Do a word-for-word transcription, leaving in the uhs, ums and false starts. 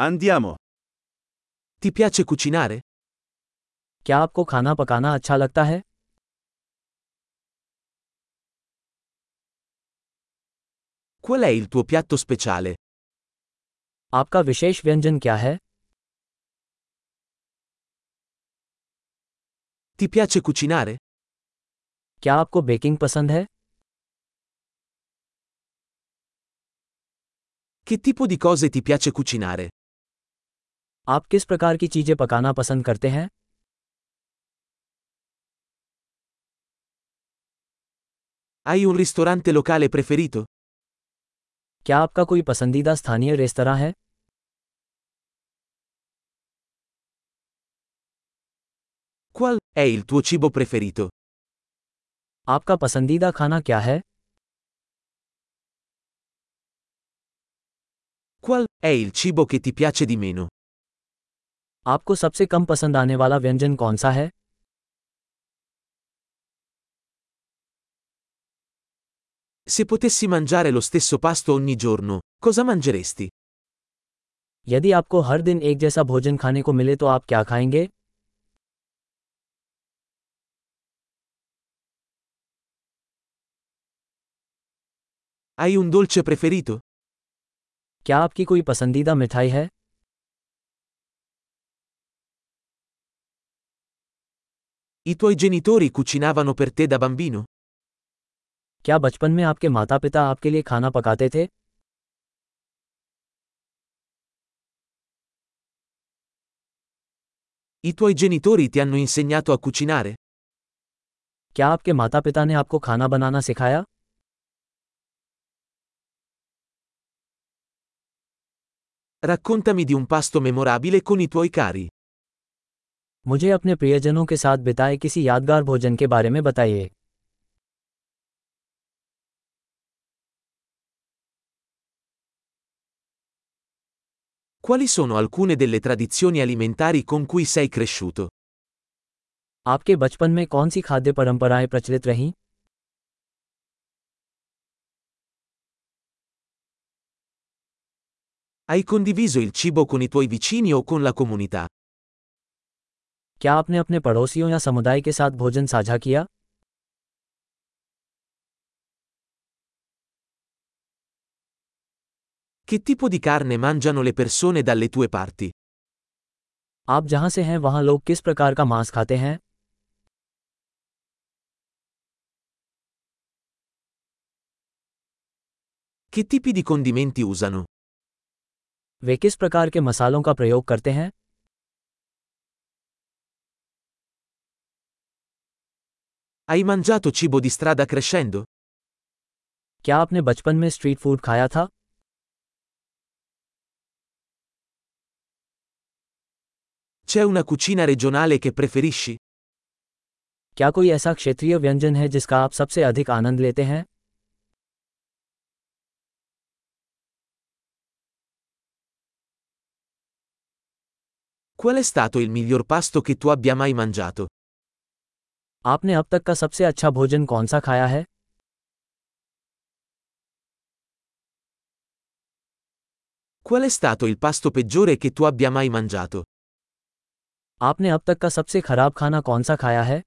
Andiamo. Ti piace cucinare? क्या आपको खाना पकाना अच्छा लगता है? Qual è il tuo piatto speciale? आपका विशेष व्यंजन क्या है? Ti piace cucinare? क्या आपको बेकिंग पसंद है? Che tipo di cose ti piace cucinare? आप किस प्रकार की चीजें पकाना पसंद करते हैं? Hai un ristorante locale preferito? क्या आपका कोई पसंदीदा स्थानीय रेस्तरां है? Qual è il tuo cibo preferito? आपका पसंदीदा खाना क्या है? Qual è il cibo che ti piace di meno? आपको सबसे कम पसंद आने वाला व्यंजन कौन सा है? Se potessi mangiare lo stesso pasto ogni giorno, cosa mangeresti? यदि आपको हर दिन एक जैसा भोजन खाने को मिले तो आप क्या खाएंगे? Hai un dolce preferito? क्या आपकी कोई पसंदीदा मिठाई है? I tuoi genitori cucinavano per te da bambino? क्या बचपन में आपके माता-पिता आपके लिए खाना पकाते थे? I tuoi genitori ti hanno insegnato a cucinare? क्या आपके माता-पिता ने आपको खाना बनाना सिखाया? Raccontami di un pasto memorabile con i tuoi cari. मुझे अपने प्रियजनों के साथ बिताए किसी यादगार भोजन के बारे में बताइए। Quali sono alcune delle tradizioni alimentari con cui sei cresciuto? आपके बचपन में कौन सी खाद्य परंपराएं प्रचलित रहीं? Hai condiviso il cibo con i tuoi vicini o con la comunità? क्या आपने अपने पड़ोसियों या समुदाय के साथ भोजन साझा किया? Che tipo di carne mangiano le persone dalle tue parti? आप जहां से हैं वहां लोग किस प्रकार का मांस खाते हैं? Che tipi di condimenti usano? वे किस प्रकार के मसालों का प्रयोग करते हैं? Hai mangiato cibo di strada crescendo? क्या आपने बचपन में स्ट्रीट फूड खाया था? C'è una cucina regionale che preferisci? क्या कोई ऐसा क्षेत्रीय व्यंजन है जिसका आप सबसे अधिक आनंद लेते हैं? Qual è stato il miglior pasto che tu abbia mai mangiato? आपने अब तक का सबसे अच्छा भोजन कौन सा खाया है? Qual è stato il pasto peggiore che tu abbia mai mangiato? आपने अब तक का सबसे खराब खाना कौन सा खाया है?